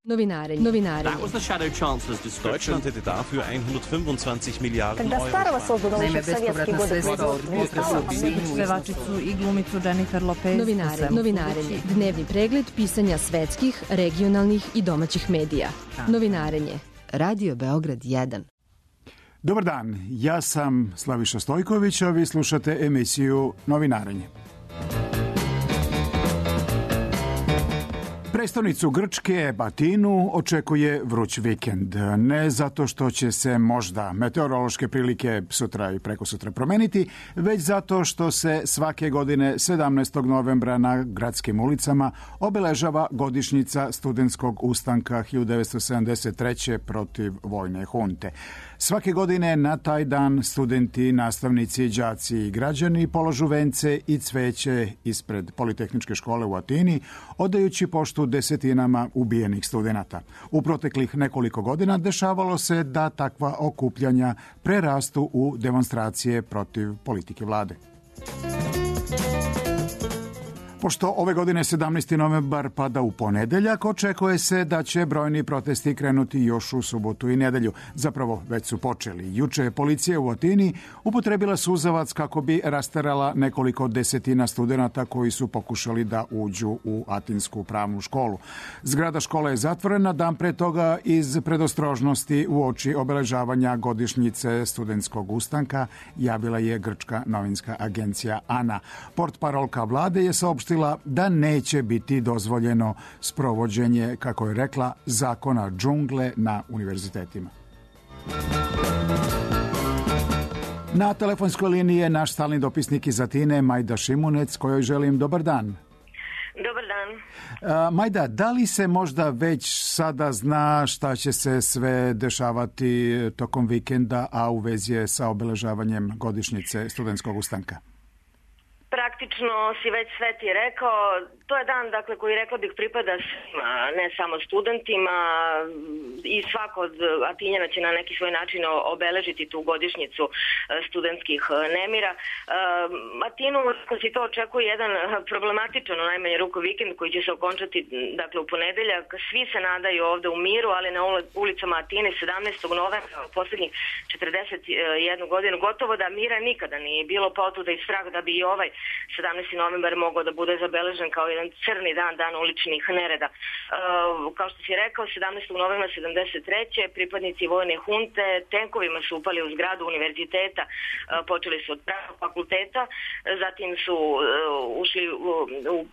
Novinare. That was the Shadow Chancellor's description. Deutschland hätte dafür 125 Milijarden Когда Старого создано еще в советские годы Pevačicu i glumicu Jennifer Lopez. Novinarenje. Dnevni pregled pisanja svetskih, regionalnih i domaćih medija. Novinarenje. Radio Beograd 1. Dobar dan, ja sam Slaviša Stojković, a vi slušate emisiju Novinarenje. Prestonicu Grčke, Atinu, očekuje vruć vikend. Ne zato što će se možda meteorološke prilike sutra i prekosutra promeniti, već zato što se svake godine 17. novembra na gradskim ulicama obeležava godišnjica studentskog ustanka 1973. protiv vojne hunte. Svake godine na taj dan studenti, nastavnici, đaci i građani polažu vence i cveće ispred Politehničke škole u Atini, odajući poštu desetinama ubijenih studenata. U proteklih nekoliko godina dešavalo se da takva okupljanja prerastu u demonstracije protiv politike vlade. Pošto ove godine 17. novembar pada u ponedeljak, očekuje se da će brojni protesti krenuti još u subotu i nedelju. Zapravo, već su počeli. Juče je policija u Atini upotrebila suzavac kako bi rasterala nekoliko desetina studenata koji su pokušali da uđu u Atinsku pravnu školu. Zgrada škole je zatvorena dan pre toga iz predostrožnosti uoči obeležavanja godišnjice studentskog ustanka, javila je grčka novinska agencija ANA. Portparolka vlade je saopštila da neće biti dozvoljeno sprovođenje, kako je rekla, zakona džungle na univerzitetima. Na telefonskoj liniji je naš stalni dopisnik iz Atine, Majda Šimunec, kojoj želim dobar dan. Dobar dan. Majda, da li se možda već sada zna šta će se sve dešavati tokom vikenda, a u vezi je sa obeležavanjem godišnjice studentskog ustanka? Praktično si već sve ti rekao, to je dan koji rekla bih pripada svima, ne samo studentima, i svako od Atinjana će na neki svoj način obeležiti tu godišnjicu studentskih nemira. Atinu si to očekuje jedan problematičan, u najmanje ruku vikend koji će se okončati u ponedeljak. Svi se nadaju ovde u miru, ali na ulicama Atine 17. novembra u posljednjih 41 godinu gotovo da mira nikada nije bilo, pa otuda i strah da bi i ovaj 17. novembar mogao da bude zabeležen kao jedan crni dan uličnih nereda. Kao što si rekao, 17. novembra 73. pripadnici vojne hunte tenkovima su upali u zgradu univerziteta, počeli su od pravnog fakulteta, zatim su ušli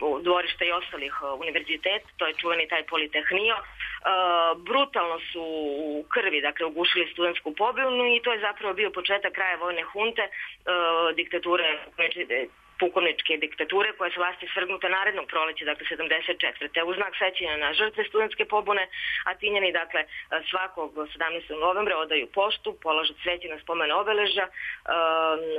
u dvorište i ostalih univerziteta, to je čuveni taj Politehnio. Brutalno su u krvi, ugušili studentsku pobunu i to je zapravo bio početak kraja vojne hunte, diktature, pukovničke diktature koja se vlasti svrgnuta narednog proleća, 74. U znak sećanja na žrtve studentske pobune, Atinjani, svakog 17. novembra odaju poštu, polažu cveće na spomen obeležja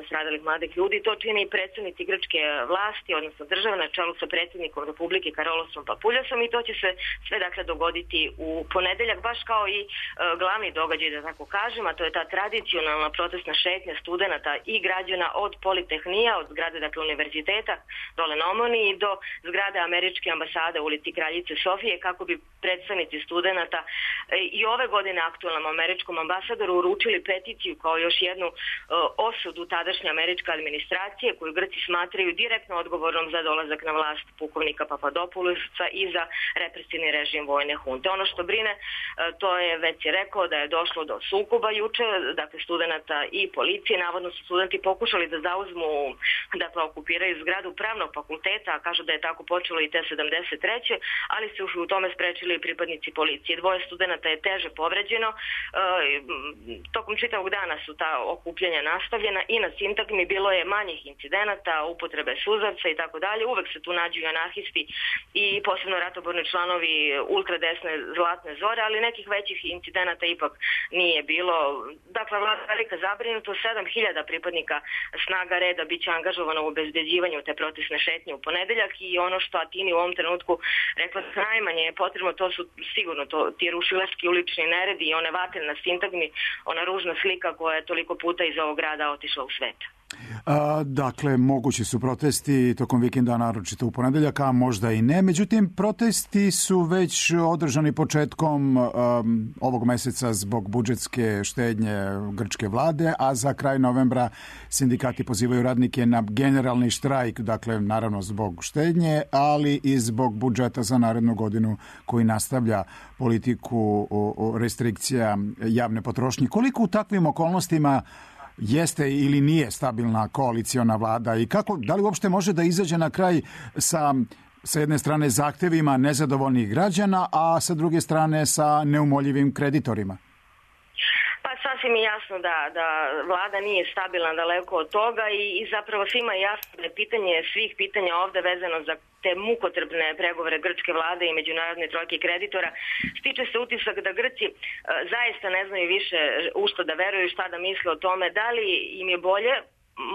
stradalih mladih ljudi. To čine i predstavnici grčke vlasti, odnosno države, na čelu sa predsjednikom Republike Karolosom Papuljasom, i to će se sve dogoditi u ponedeljak, baš kao i glavni događaj, da tako kažem, a to je ta tradicionalna protestna šetnja studenata i građana od Politehnija, od zgrade univerziteta dole na Omoniji do zgrade američke ambasade u ulici Kraljice Sofije, kako bi predstavnici studenata i ove godine aktualnom američkom ambasadoru uručili peticiju kao još jednu osudu tadašnje američke administracije, koju Grci smatraju direktno odgovornom za dolazak na vlast pukovnika Papadopoulosa i za represivni režim vojne hunte. Ono što brine, to je, već je rekao, da je došlo do sukoba juče, studenata i policije. Navodno su studenti pokušali da zauzmu, okupiraju zgradu pravnog fakulteta, a kažu da je tako počelo i te 73. ali se u tome sprečili i pripadnici policije. Dvoje studenata je teže povređeno. Tokom čitavog dana su ta okupljanja nastavljena i na sintagmi bilo je manjih incidenata, upotrebe suzavca i tako dalje. Uvek se tu nađu i anarhisti i posebno ratoborni članovi ultradesne Zlatne zore, ali nekih većih incidenata ipak nije bilo. Vlada velika zabrinuto, 7.000 pripadnika snaga reda biće angažovano u obezbeđivanju te protestne šetnje u ponedeljak, i ono što Atini u ovom trenutku rekla najmanje je potrebno, to su sigurno ti rušilački ulični neredi i one vatre na sintagmi, ona ružna slika koja je toliko puta iz ovog grada otišla u svet. Dakle, mogući su protesti tokom vikenda, naročito u ponedeljak, a možda i ne. Međutim, protesti su već održani početkom ovog meseca zbog budžetske štednje grčke vlade, a za kraj novembra sindikati pozivaju radnike na generalni štrajk, dakle, naravno zbog štednje, ali i zbog budžeta za narednu godinu koji nastavlja politiku restrikcija javne potrošnje. Koliko u takvim okolnostima jeste ili nije stabilna koaliciona vlada i da li uopšte može da izađe na kraj sa jedne strane zahtevima nezadovoljnih građana, a sa druge strane sa neumoljivim kreditorima? Pa sasvim je jasno da vlada nije stabilna daleko od toga i zapravo svima je jasno da je pitanje svih pitanja ovde vezano za te mukotrpne pregovore grčke vlade i međunarodne trojke kreditora. Stiče se utisak da Grci zaista ne znaju više u što da veruju, šta da misle o tome, da li im je bolje.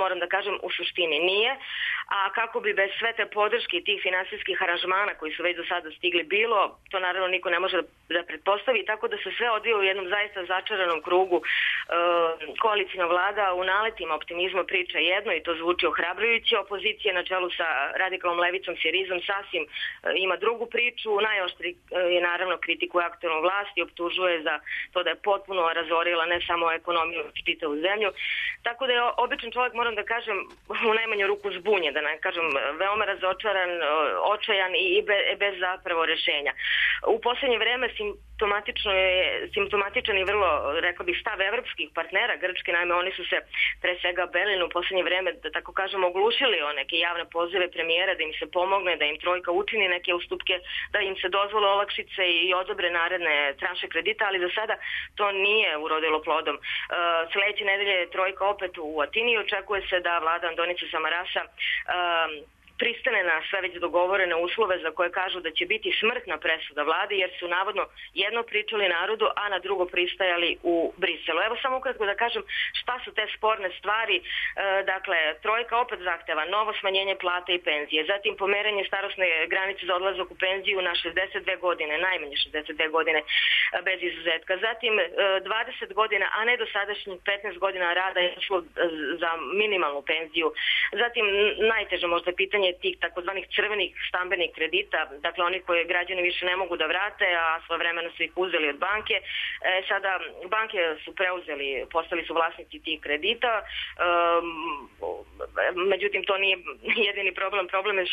Moram da kažem, u suštini nije, a kako bi bez sve te podrške i tih finansijskih aranžmana koji su već do sada stigli bilo, to naravno niko ne može da pretpostavi, tako da se sve odvija u jednom zaista začaranom krugu. Koalicijna vlada u naletima optimizma priča jedno i to zvuči ohrabrujuće, opozicija na čelu sa radikalnom levicom Sirizom sasvim ima drugu priču, najoštri je naravno kritikuje aktuelnu vlast i optužuje za to da je potpuno razorila ne samo ekonomiju, čitavu zemlju, tako da je običan čovjek, moram da kažem, u najmanju ruku zbunjen, da ne kažem, veoma razočaran, očajan i bez zapravo rešenja. U poslednje vreme simptomatičan i vrlo, rekao bih, stav evropskih partnera Grčke, naime oni su se pre svega Berlinu u poslednje vreme, da tako kažem, oglušili o neke javne pozive premijera da im se pomogne, da im trojka učini neke ustupke, da im se dozvole olakšice i odobre naredne tranše kredita, ali za sada to nije urodilo plodom. Sledeće nedelje je trojka opet u Atini, očekuje se da vlada Andonice Samarasa pristane na sve već dogovorene uslove za koje kažu da će biti smrtna presuda vlade, jer su navodno jedno pričali narodu, a na drugo pristajali u Briselu. Evo samo ukratko da kažem šta su te sporne stvari. Dakle, trojka opet zahteva novo smanjenje plata i penzije, zatim pomeranje starosne granice za odlazak u penziju na 62 godine, najmanje 62 godine bez izuzetka, zatim 20 godina, a ne dosadašnjih 15 godina rada je išlo za minimalnu penziju, zatim najteže možda pitanje tih takozvanih crvenih stambenih kredita, dakle oni koje građani više ne mogu da vrate, a svojevremeno su ih uzeli od banke. Sada banke su postali su vlasnici tih kredita, međutim to nije jedini problem. Problem je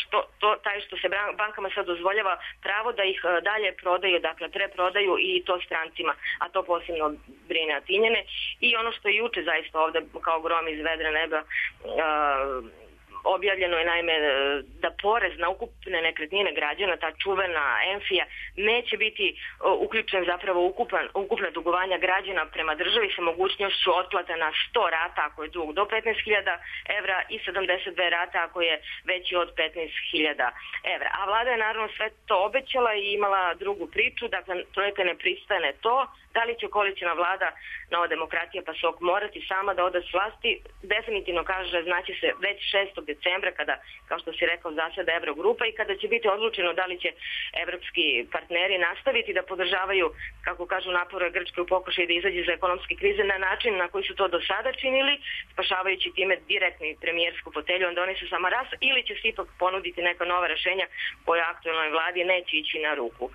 taj što se bankama sad dozvoljava pravo da ih dalje prodaju, dakle preprodaju i to strancima, a to posebno brine Atinjane. I ono što je juče zaista ovde kao grom iz vedra neba objavljeno je naime da porez na ukupne nekretnine građana, ta čuvena Enfija, neće biti uključen zapravo ukupna dugovanja građana prema državi sa mogućnošću otplata na 100 rata ako je dug do 15.000 evra i 72 rata ako je veći od 15.000 evra. A vlada je naravno sve to obećala i imala drugu priču, dakle trojka ne pristane to. Da li će koalicijna vlada, Nova demokratija PASOK, morati sama da ode s vlasti? Definitivno kaže, znaće se već 6. decembra kada, kao što si rekao, zaseda Evrogrupa i kada će biti odlučeno da li će evropski partneri nastaviti da podržavaju, kako kažu, napore Grčke u pokušaju da izađe za ekonomske krize na način na koji su to do sada činili, spašavajući time direktni premijersku fotelju Andonisu Samarasa, ili će se ipak ponuditi neka nova rešenja koja aktuelnoj vladi neće ići na ruku.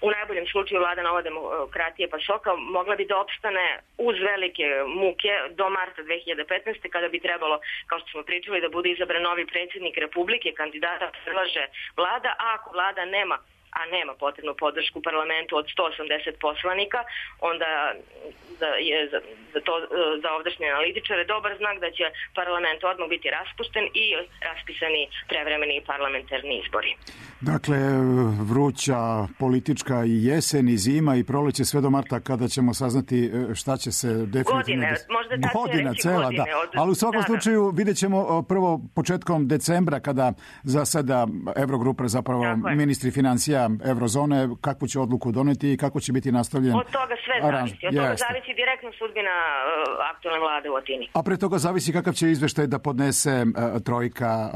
U najboljem slučaju vlada Nova demokratija PASOK-a mogla bi da opstane uz velike muke do marta 2015. kada bi trebalo, kao što smo pričali, da bude izabran novi predsjednik Republike, kandidata predlaže vlada, a ako vlada nema potrebnu podršku u parlamentu od 180 poslanika, onda je za ovdašnje analitičare dobar znak da će parlament odmah biti raspušten i raspisani prevremeni parlamentarni izbori. Dakle, vruća politička i jesen i zima i proleće sve do marta kada ćemo saznati šta će se definitivno... Godina cela, da. Ali u svakom slučaju vidjet ćemo prvo početkom decembra kada zaseda Evrogrupa, zapravo ministri financija zemalja Eurozone, kakvu će odluku doneti i kako će biti nastavljen. Od toga sve zavisi. Od toga zavisi direktno sudbina aktualne vlade u Atini. A pre toga zavisi kakav će izveštaj da podnese trojka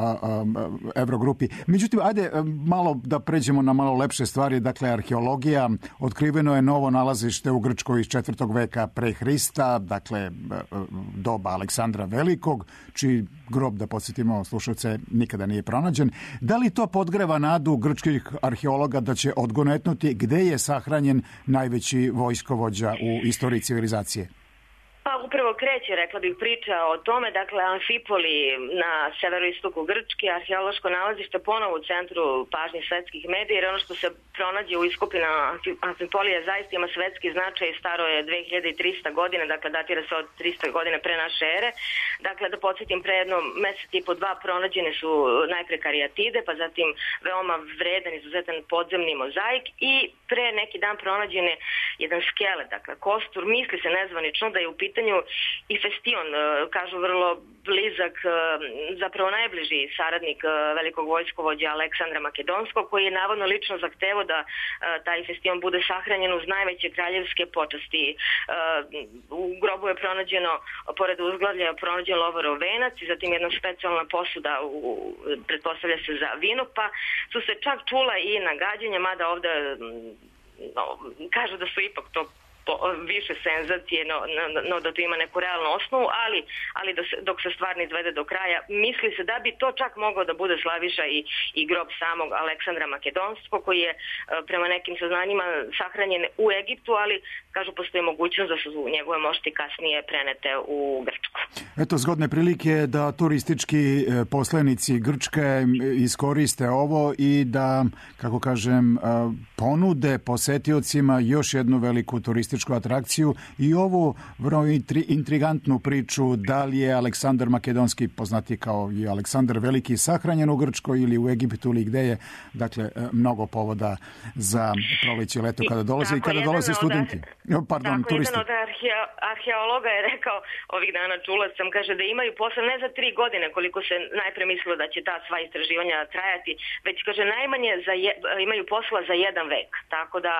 Evrogrupi. Međutim, ajde malo da pređemo na malo lepše stvari. Dakle, arheologija. Otkriveno je novo nalazište u Grčkoj iz 4. veka pre Hrista, dakle, doba Aleksandra Velikog, čiji grob, da podsjetimo slušalce, nikada nije pronađen. Da li to podgreva nadu grčkih arheologa da će odgonetnuti gde je sahranjen najveći vojskovođa u istoriji civilizacije? Pa upravo kreće, rekla bih, priča o tome, dakle Amfipoli na severoistoku Grčke, arheološko nalazište ponovo u centru pažnje svetskih medija, jer ono što se pronađe u iskopina Amfipolija zaista ima svetski značaj i staro je 2300 godina, dakle datira se od 300 godine pre naše ere. Dakle, da podsjetim, pre jedno mesec i po dva pronađene su najpre karijatide, pa zatim veoma vredan, izuzetan podzemni mozaik i pre neki dan pronađen je jedan skelet, dakle kostur, misli se nezvanično da je u pitanju i Festion, kažu vrlo blizak, zapravo najbliži saradnik velikog vojskovođa Aleksandra Makedonskog, koji je navodno lično zahtevao da taj Festion bude sahranjen uz najveće kraljevske počasti. U grobu je pronađeno, pored uzglavlja, pronađen lovorov venac i zatim jedna specijalna posuda, pretpostavlja se za vino, pa su se čak čula i nagađanja, mada ovde kažu da su ipak to više senzacije, no da to ima neku realnu osnovu, ali dok se stvar ne izvede do kraja, misli se da bi to čak moglo da bude Slaviša i grob samog Aleksandra Makedonskog, koji je prema nekim saznanjima sahranjen u Egiptu, ali kažu postoji mogućnost da su njegove mošti kasnije prenete u Grčku. Eto, zgodne prilike da turistički poslanici Grčke iskoriste ovo i da, kako kažem, ponude posetiocima još jednu veliku turističku atrakciju i ovu vrlo intrigantnu priču da li je Aleksandar Makedonski, poznati kao i Aleksandar Veliki, sahranjen u Grčkoj ili u Egiptu ili gde je. Dakle, mnogo povoda za proleće, leto kada dolaze i kada dolaze studenti. Turisti. Jedan od arheologa je rekao ovih dana, čula sam, kaže da imaju posla ne za 3 godine koliko se najpre mislilo da će ta sva istraživanja trajati, već kaže najmanje imaju posla za 1 vek. Tako da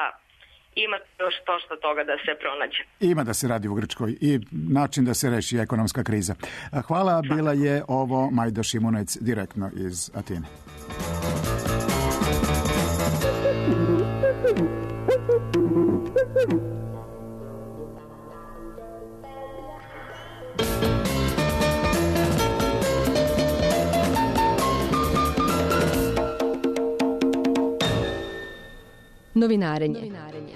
ima još što toga da se pronađe. Ima da se radi u Grčkoj i način da se reši ekonomska kriza. Hvala, bila je ovo Majda Šimunec direktno iz Atine. Novinarenje.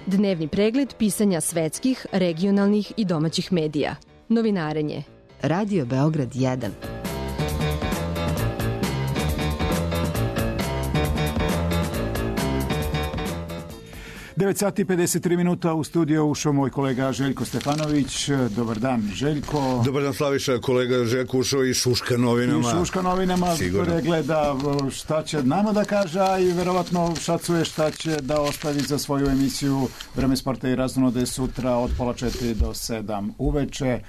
Dnevni pregled pisanja svetskih, regionalnih i domaćih medija. Novinarenje. Radio Beograd 1. Devet sati i 53 minuta u studio ušao moj kolega Željko Stefanović. Dobar dan, Željko. Dobar dan, Slaviša. Kolega Željko ušao i Šuška novinama. I Šuška novinama gleda šta će nama da kaže, a i verovatno šacuje šta će da ostavi za svoju emisiju Vreme sporta i raznode sutra od 3:30 do 7 uveče.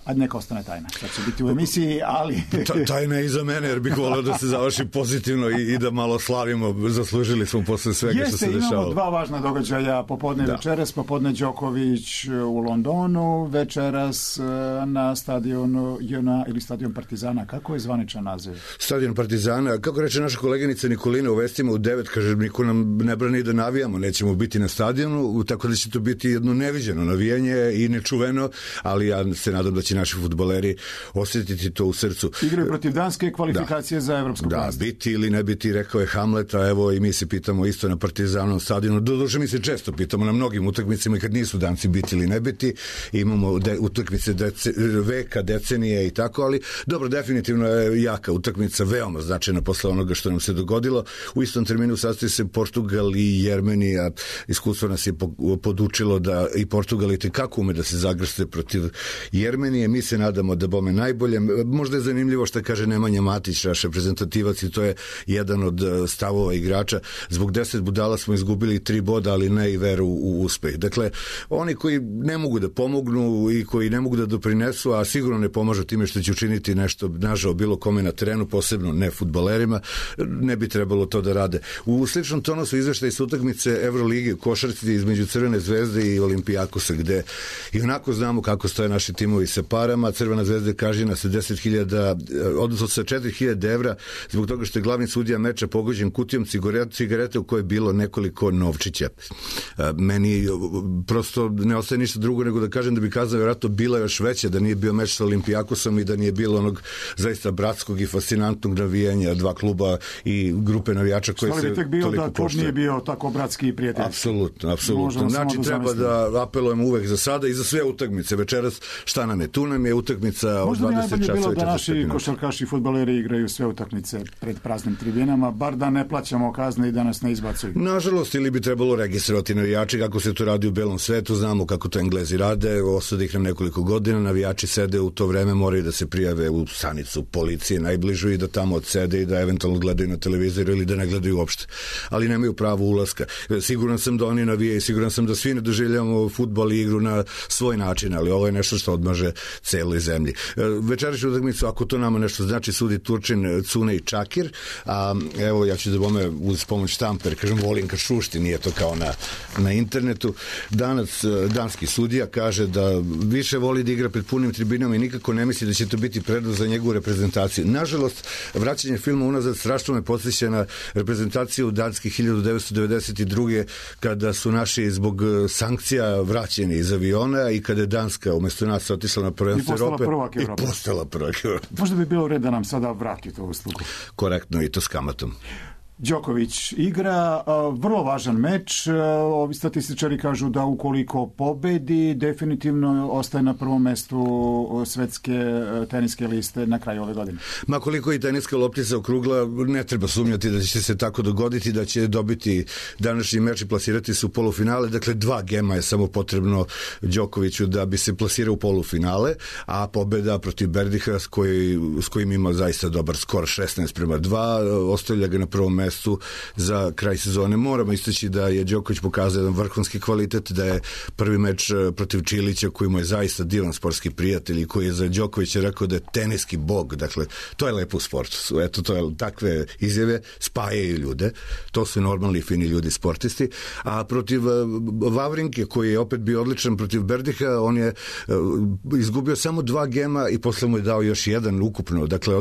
A neka ostane tajna. Sad će biti u emisiji, ali... Tajna je i za mene, jer bih volio da se završi pozitivno i da malo slavimo. Zaslužili smo posle svega što se dešavalo. Imamo 2 važna događaja. Popodne večeras, popodne Đoković u Londonu, večeras na stadionu JNA ili stadion Partizana. Kako je zvaničan naziv? Stadion Partizana. Kako reče naša koleginica Nikolina u vestima u 9, kaže, niko nam ne brani da navijamo. Nećemo biti na stadionu, tako da će to biti jedno neviđeno navijanje i nečuveno, ali ja se nadam da će naši fudbaleri osjetiti to u srcu. Igraju protiv Danske, kvalifikacije za evropsku vlast. Da, biti ili ne biti, rekao je Hamlet, a evo i mi se pitamo isto na Partizanom stadionu. Doduše mi se često pitamo na mnogim utakmicama i kad nisu Danci biti ili ne biti. Imamo utakmice veka, decenije i tako, ali dobro, definitivno je jaka utakmica, veoma značajna posle onoga što nam se dogodilo. U istom terminu sastoji se Portugal i Jermenija. Iskustvo nas je podučilo da i Portugal i tekako ume da se zagrste protiv Jermenije. i mi se nadamo da bome najbolje. Možda je zanimljivo što kaže Nemanja Matić, naš reprezentativac, i to je jedan od stavova igrača. Zbog 10 budala smo izgubili 3 boda, ali ne i veru u uspeh. Dakle, oni koji ne mogu da pomognu i koji ne mogu da doprinesu, a sigurno ne pomažu time što će učiniti nešto nažao bilo kome na terenu, posebno ne fudbalerima, ne bi trebalo to da rade. U sličnom tonu su izveštaji sa utakmice Evrolige u košarci između Crvene zvezde i Olimpijakosa, gde i onako znamo kako stoje naši timovi sa parama. Crvena zvezda kažnjena sa 10.000, odnosno sa 4.000 evra zbog toga što je glavni sudija meča pogođen kutijom cigarete u kojoj je bilo nekoliko novčića. Meni prosto ne ostaje ništa drugo nego da kažem da bi kazna vjerojatno bila još veća da nije bio meč sa Olimpijakosom i da nije bilo onog zaista bratskog i fascinantnog navijanja dva kluba i grupe navijača koje se toliko poštuje. Da klub nije bio tako bratski i prijateljski. Apsolutno. Znači treba da apelujemo uvek za sada i za sve utakmice. Večeras šta nam je? Tu nam je utakmica od 20 časova. Možda bi bilo da naši košarkaši i fudbaleri igraju sve utakmice pred praznim tribinama, bar da ne plaćamo kazne i da nas ne izbacuju. Nažalost, ili bi trebalo registrovati navijači kako se to radi u belom svetu. Znamo kako to Englezi rade. Osada ih nam nekoliko godina. Navijači sede u to vreme, moraju da se prijave u stanicu policije najbližu i da tamo odsede i da eventualno gledaju na televizoru ili da ne gledaju uopšte. Ali nemaju pravo ulaska. Siguran sam da oni navijaju, siguran sam da svi ne doživljavamo fudbal i igru na svoj način, ali ovo je nešto što odmaže celoj zemlji. Večerašnju utakmicu, ako to nama nešto znači, sudi Turčin, Cune i Čakir, a evo ja ću da bome uz pomoć štamper, kažem, volim kad šušti, nije to kao na internetu. Danas danski sudija kaže da više voli da igra pred punim tribinama i nikako ne misli da će to biti prednost za njegovu reprezentaciju. Nažalost, vraćanje filma unazad strašno me podsjeća na reprezentaciju Danske 1992. kada su naši zbog sankcija vraćeni iz aviona i kada je Danska umesto nas otišla na prvenstvo Evrope i postala prvak Evrope. Možda bi bilo red da nam sada vrati to uslugu. Korektno, i to s kamatom. Đoković igra vrlo važan meč. Ovi statističari kažu da ukoliko pobedi, definitivno ostaje na prvom mestu svetske teniske liste na kraju ove godine. Ma koliko i teniska loptica okrugla, ne treba sumnjati da će se tako dogoditi, da će dobiti današnji meč i plasirati se u polufinale. Dakle, 2 gema je samo potrebno Đokoviću da bi se plasirao u polufinale, a pobeda protiv Berdiha s kojim ima zaista dobar skor 16:2, ostavlja ga na prvom mestu za kraj sezone. Moramo istaći da je Đoković pokazao jedan vrhunski kvalitet, da je prvi meč protiv Čilića, koji mu je zaista divan sportski prijatelj i koji je za Đokovića rekao da je teniski bog. Dakle, to je lepo u sportu. Eto, to je takve izjave spajaju ljude. To su normalni, fini ljudi, sportisti. A protiv Vavrinke, koji je opet bio odličan protiv Berdiha, on je izgubio samo 2 gema i posle mu je dao još jedan ukupno. Dakle,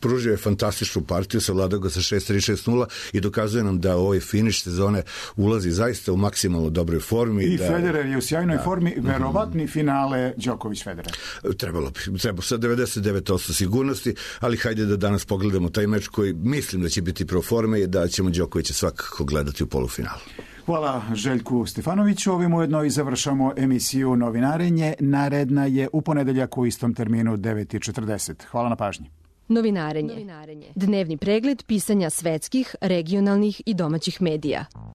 pružio je fantastičnu partiju, savladao ga sa 6-3, 6-0 i dokazuje nam da ovoj finiš sezone ulazi zaista u maksimalno dobroj formi. I Federer je u sjajnoj formi, verovatni finale Đoković-Federer. Treba sa 99% sigurnosti, ali hajde da danas pogledamo taj meč koji mislim da će biti pro forme i da ćemo Đokovića svakako gledati u polufinalu. Hvala Željku Stefanoviću. Ovim ujedno i završamo emisiju Novinarenje. Naredna je u ponedeljak u istom terminu 9:40. Hvala na pažnji. Novinarenje. Dnevni pregled pisanja svetskih, regionalnih i domaćih medija.